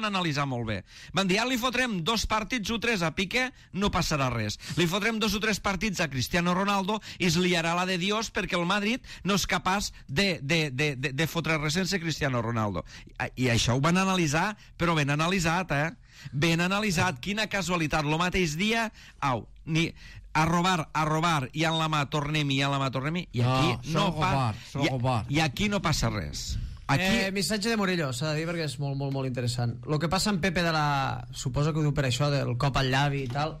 analitzar molt bé. Van dir, li fotrem 2 partits o 3 a Piqué, no passarà res. Li fotrem 2 o 3 partits a Cristiano Ronaldo i es liarà la de Dios perquè el Madrid no és capaç de fotre res sense Cristiano Ronaldo. I això ho van analitzar, però ben analitzat, Ben analitzat. Quina casualitat. El mateix dia, a robar, i en la mà tornem-hi, i aquí no passa res. Missatge de Murillo, s'ha de dir perquè és molt, molt, molt interessant. El que passa en Pepe suposo que ho diu per això, del cop al llavi i tal,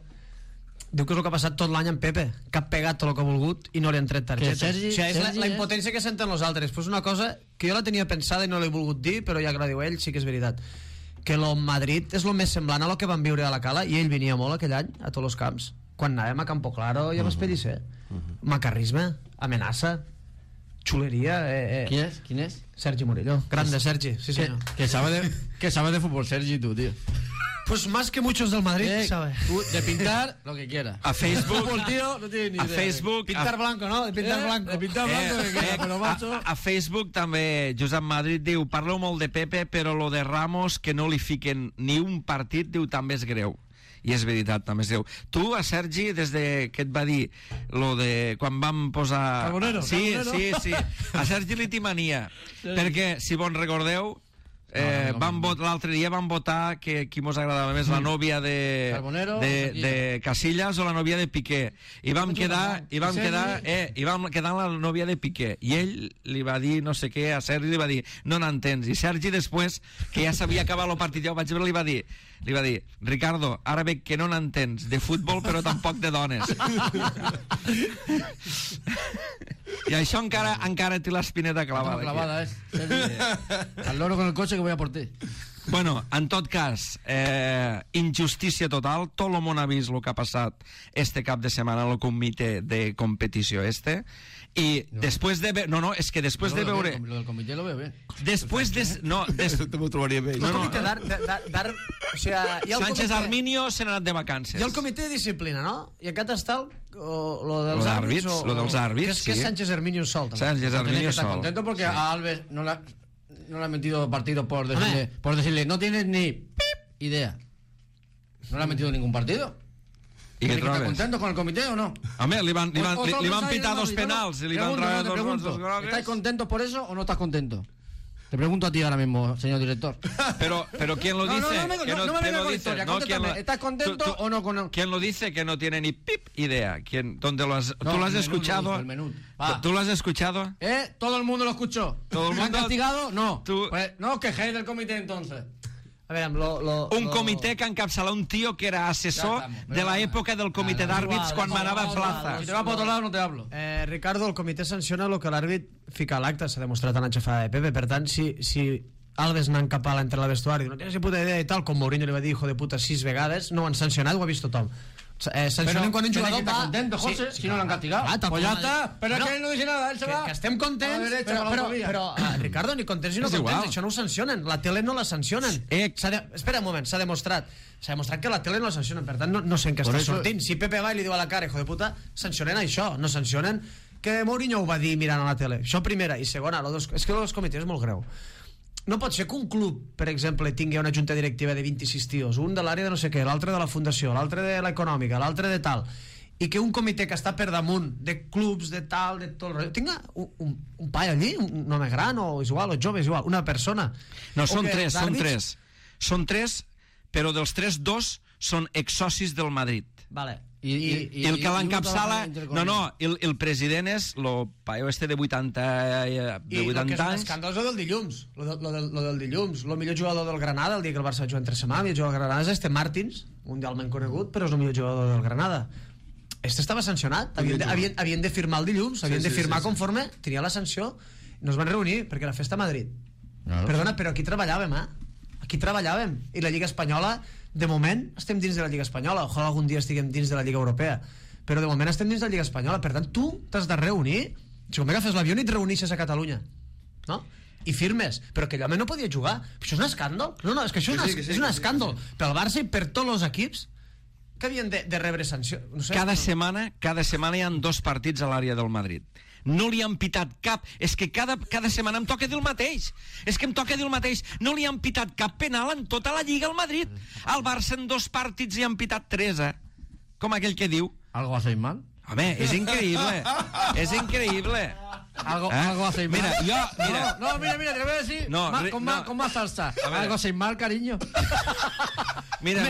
diu que és el que ha passat tot l'any en Pepe, que ha pegat tot el que ha volgut i no li han tret targetes. És la impotència que senten els altres. Pues una cosa que jo la tenia pensada i no l'he volgut dir, però ja que la diu ell sí que és veritat, que el Madrid és el més semblant a lo que van viure a la Cala, i ell venia molt aquell any a tots els camps, quan anàvem a Campo Claro i a Maspelisser. Macarrisme, amenaça, xuleria. Quin és? Sergi Murillo, grande Sergi, sí senyor. Que sabe de fútbol Sergi, tu, tío. Pues más que muchos del Madrid, ¿sabes? De pintar lo que quiera. A Facebook, El tío no tiene ni idea. a Facebook, Pintar blanco, no? De pintar blanco. De pintar blanco que quiera, però macho... a Facebook també Josep Madrid diu, parleu molt de Pepe, però lo de Ramos, que no li fiquen ni un partit, diu, també és greu. I és veritat, també és greu. Tu, a Sergi, des de que et va dir lo de quan vam posar... Carbonero. Sí, Carbonero. sí. A Sergi li timania, perquè, si bon recordeu, l'altre dia vam votar que qui mos agradava més, la nòvia de Carbonero, de Casillas o la nòvia de Piqué, i vam quedar la nòvia de Piqué, i ell li va dir no sé què, a Sergi li va dir no n'entens, i Sergi després que ja s'havia acabat el partit, ja ho vaig veure, li va dir Ricardo, ara veig que no n'entens de futbol però tampoc de dones. I això encara té l'espineta clavada. Clavada, al loro con el coche que voy a por ti. Bueno, en tot cas, injustícia total, tot el món ha vist el que ha passat este cap de setmana al comitè de competició i després de veure... No, és que després de veure... Lo del comitè lo veo bien. Després de... No, T'ho trobaria bé. El comitè d'art... O sigui, Sánchez Arminio se n'ha anat de vacances. Hi ha el comitè de disciplina, no? I aquest està lo dels àrbits. Lo dels àrbits, sí. Que és Sánchez Arminio sol. Sánchez Arminio Está sol. contento porque a Alves no le ha metido partido por decirle no tienes ni idea. No le ha metido ningún partido. I què trobes? ¿Estás contento con el comité o no? Home, li van pitar dos penals i li van traure dos grogues. ¿Estáis contentos por eso o no estás contento? Te pregunto a ti ahora mismo, señor director. Pero ¿quién lo dice? No me vengas con la historia, contéstame. ¿Estás contento o no con...? ¿Quién lo dice que no tiene ni pip idea? ¿Dónde lo has... ¿Tú lo has escuchado? ¿Tú lo has escuchado? Todo el mundo lo escuchó. ¿Todo el mundo? ¿Me han castigado? No. Pues, no os quejéis del comité entonces. A veure, un comitè que encapçala un tío que era assessor de la època del comitè d'àrbits quan manava Plaza. Si te vas por otro lado no te hablo. Ricardo, el comitè sanciona el que l'àrbit fica a l'acte, s'ha demostrat en la xafada de Pepe, per tant, si Alves anant cap a l'entre la vestuari, no tens ni puta idea i tal, com Mourinho li va dir hijo de puta 6 vegades, no ho han sancionat, ho ha vist tothom. Sancionen quan un jugador va... contento, José, si no l'han castigado. Pues ya está, pero es que él no dice nada, él se va. Que estem contents, però Ricardo, ni contents ni no contents, això no ho sancionen, la tele no la sancionen. Espera un moment, s'ha demostrat que la tele no la sancionen, per tant no sé en què està sortint. Si Pepe va i li diu a la cara, hijo de puta, sancionen això, no sancionen que Mourinho ho va dir mirant a la tele. Això primera, i segona, és que els comitès és molt greu. No pot ser que un club, per exemple, tingui una junta directiva de 26 tios, un de l'àrea de no sé què, l'altre de la fundació, l'altre de l'econòmica, l'altre de tal, i que un comitè que està per damunt de clubs, de tal, de tot el rotllo, tinga un paio allí, un home gran o és igual, o jove, és igual, una persona. No, són tres. Són tres, però dels tres, dos són exsocis del Madrid. Vale. I el que l'encapçala... No, el president és el paio este de 80 anys. I el que és un escàndol és el del dilluns. Lo del dilluns. El millor jugador del Granada, el dia que el Barça va jugar entre setmana, el millor jugador del Granada és este Martins, mundialment conegut, però és el millor jugador del Granada. Este estava sancionat. Havien de firmar el dilluns, havien de firmar conforme tenia la sanció. No es van reunir, perquè la festa a Madrid. Perdona, però aquí treballàvem, Aquí treballàvem. I la Lliga Espanyola, de moment, estem dins de la Lliga Espanyola. Ojalà algun dia estiguem dins de la Lliga Europea. Però de moment estem dins de la Lliga Espanyola. Per tant, tu t'has de reunir. Si com agafes l'avió i et reunixes a Catalunya, no? I firmes. Però que home no podia jugar. Això és un escàndol. No, és que això és un escàndol. Pel Barça i per tots els equips que havien de rebre sanció. No sé, cada setmana hi ha 2 partits a l'àrea del Madrid. No li han pitat cap. És que cada setmana em toca dir el mateix. No li han pitat cap penal en tota la Lliga al Madrid. Al Barça en 2 partits li han pitat 3, com aquell que diu. ¿Algo hacéis mal? Home, és increïble. Algo hacéis mal. Mira, mira, te lo voy a decir con más salsa. Algo hacéis mal, cariño. Mira,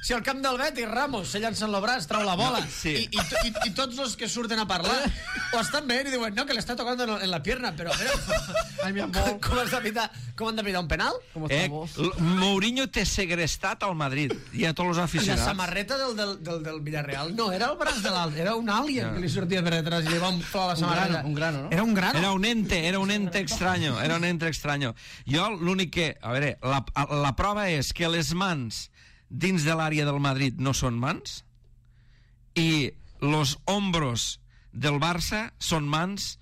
si al camp del Betis Ramos se llancen el braç, trau la bola i tots els que surten a parlar o estan veient i diuen no, que l'està tocant en la pierna, però com han de pitar un penal? Mourinho té segrestat al Madrid i a tots els aficionats. I la samarreta del Villarreal no era el braç de l'alt, era un alien que li sortia per detrás i li va inflar la samarreta. Un grano, no? Era un grano. Era un ente extraño. Jo l'únic que... A veure, la prova és que les mans dins de l'àrea del Madrid no són mans i los hombros del Barça són mans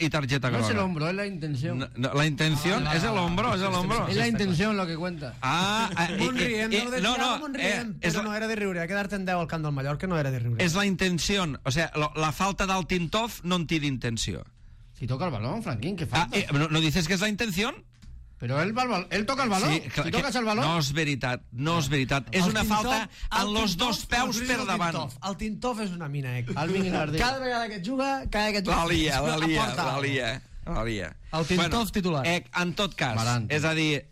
y tarjeta No es el groga. hombro, es la intención. No, la intención es el hombro, es el hombro. Es la intención lo que cuenta. Molt rient, però no era de riure. Quedar-te en 10 al camp del Mallorca no era de riure. Es la intención, o sea, la falta del Tintov no en tiene intención. Si toca el balón, Franquín, ¿qué falta? ¿No dices que es la intención? Pero él toca el balón. Sí, si tocas el balón... No és veritat, no és veritat. És una falta amb los dos peus per davant. El Tintov és una mina, Alvin Guinardí. Cada vegada que et juga, La lia. El Tintov titular. En tot cas, Barante. és a dir,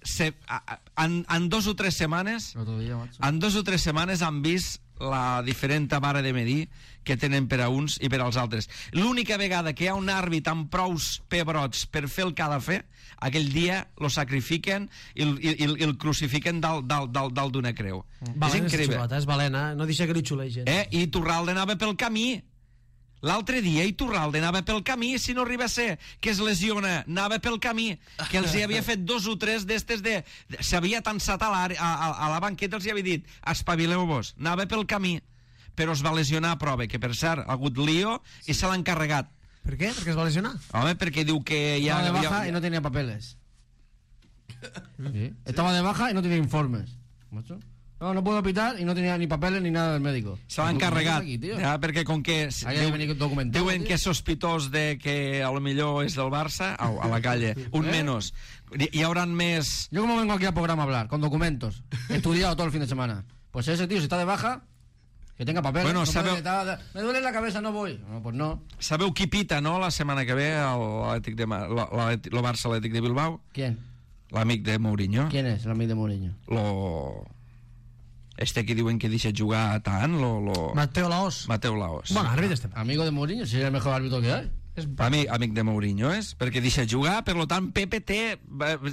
en 2 o 3 setmanes, en 2 o 3 setmanes han vist la diferent vara de medir que tenen per a uns i per als altres. L'única vegada que hi ha un àrbit amb prous pebrots per fer el que ha de fer, aquell dia lo sacrifiquen i el crucifiquen dalt d'una creu. És increïble. És balena, no deixa que li xulegen. I Turralde anava pel camí. L'altre dia Iturralde anava pel camí, si no arriba a ser que es lesiona, anava pel camí, que els hi havia fet 2 o 3 d'estes s'havia tensat a la banqueta, els hi havia dit espavileu-vos, anava pel camí, però es va lesionar a prova, que per cert ha hagut lío i se l'ha encarregat. Per què? Perquè es va lesionar? Home, perquè diu que ja... Estaba de baja y no tenía papeles. ¿Sí? Estaba de baja y no tenía informes. ¿Macho? No puedo pitar y no tenía ni papeles ni nada del médico. Se l'ha encarregat, perquè com que diuen que és sospitós de que a lo millor és del Barça, a la calle, un menos. Hi hauran més... Yo como vengo aquí al programa a hablar, con documentos, estudiado todo el fin de semana. Pues ese tío, si está de baja, que tenga papeles. Bueno, me duele la cabeza, no voy. No, pues no. Sabeu qui pita, no?, la setmana que ve el Barça Atlètic de Bilbao? ¿Quién? L'amic de Mourinho. ¿Quién es el amigo de Mourinho? Que diuen que deixa jugar tant, Mateo Laos. Bueno, àrbit amigo de Mourinho, si es el mejor árbitro que hay. Amic de Mourinho és, perquè deixa jugar, per tant Pepe té,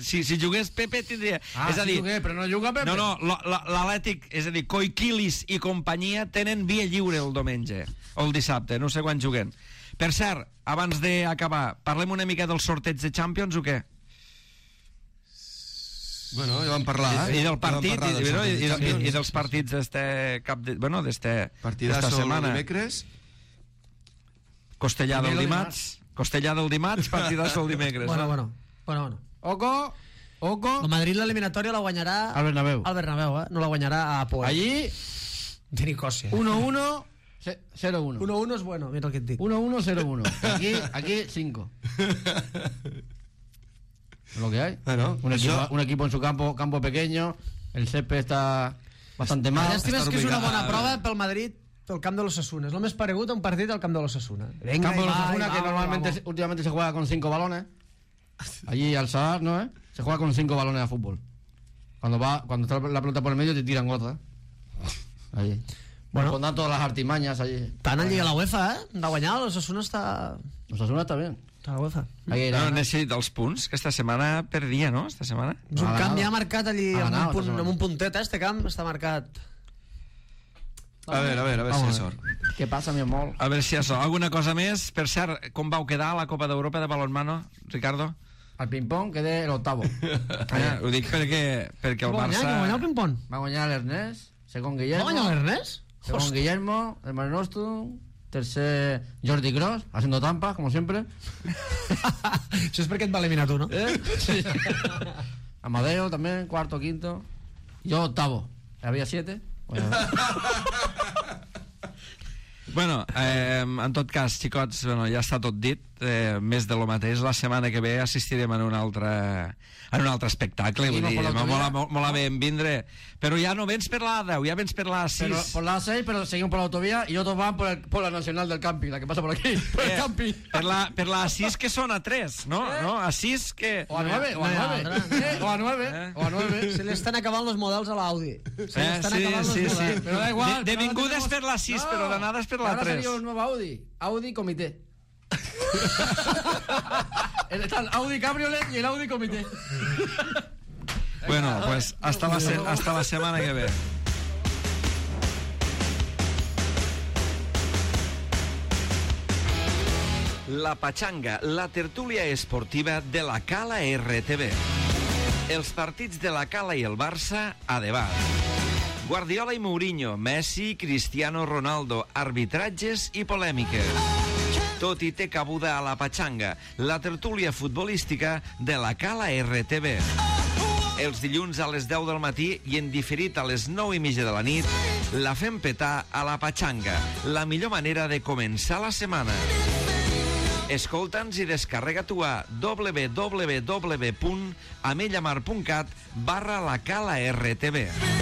si jugués Pepe tindria, és a dir, jugué, però no juga Pepe. No, l'Atlètic, és a dir, Koikilis i companyia tenen via lliure el diumenge o el dissabte, no sé quan juguen. Per cert, abans d'acabar, parlem una mica dels sorteig de Champions o què? Bueno, ja vam parlar, I del partit, i dels partits d'esta setmana. Dimecres. Costellà del dimarts, partidazo el dimecres. Bueno. Oco. El Madrid l'eliminatòria la guanyarà al Bernabéu, no la guanyarà a Apoel. Allí de Nicòsia. 1-1 0-1. 1-1 és bueno, mira el que et dic. 1-1 0-1. Aquí 5. Lo que hay. Bueno, un equipo en su campo pequeño, el césped está bastante mal. Llàstima és que és una bona prova pel Madrid, pel camp de l'Osasuna. És el més paregut a un partit al camp de l'Osasuna. Campo de l'Osasuna, que normalmente últimamente se juega con 5 balones. Allí al Sadar, ¿no? Se juega con 5 balones de fútbol. Cuando está la pelota por el medio te tiran otra. Allí. Bueno, pondrán todas las artimañas allí. Tant allí a la UEFA, de guanyar, l'Osasuna està... L'Osasuna està bé. Està a la UEFA. No necessita els punts, que esta setmana perdia, no? Esta setmana. És un camp ja marcat allí, amb un puntet, este camp està marcat. A ver si hi ha sort. Què passa, mi amor? A veure si hi ha sort. Alguna cosa més? Per cert, com vau quedar a la Copa d'Europa de balonmano, Ricardo? Al ping-pong quedé el octavo. Ho dic perquè el Barça... Va guanyar el ping-pong? Va guanyar l'Ernest, segon Guillermo. Va guanyar l'Ernest? Segon Guillermo, el Mare Nostrum, tercer Jordi Kroos, haciendo trampas, como siempre. Això és perquè et va eliminar tu, no? Sí. Amadeo también, cuarto, quinto. Yo octavo. Había 7. Bueno, en tot cas, xicots, ja està tot dit, més de lo mateix. La setmana que ve assistirem en un altre espectacle, vull dir, mola bé en vindre, però ja no vens per la 10, ja vens per la 6. Por la 6, pero seguimos por la autovía y otros van por la nacional del camping, la que pasa por aquí, por el camping. Per la 6 que són a 3, no? No, a 6 que... O a 9, o a 9. Se li estan acabant els models a l'Audi. Sí. Però da igual. De vinguda és per la 6, però d'anada és per la 3. Ahora salió un nuevo Audi Comité. Está el Audi Cabriolet y el Audi Comité. Bueno, pues hasta la semana que ve. La Pachanga, la tertúlia esportiva de la Cala RTV. Els partits de la Cala i el Barça a debat. Guardiola i Mourinho, Messi, Cristiano Ronaldo, arbitratges i polèmiques. Tot i té cabuda a la Patxanga, la tertúlia futbolística de la Cala RTV. Els dilluns a les 10 del matí i en diferit a les 9:30 de la nit, la fem petar a la Patxanga, la millor manera de començar la setmana. Escolta'ns i descarrega-t'ho a www.amellamar.cat/la Cala RTV.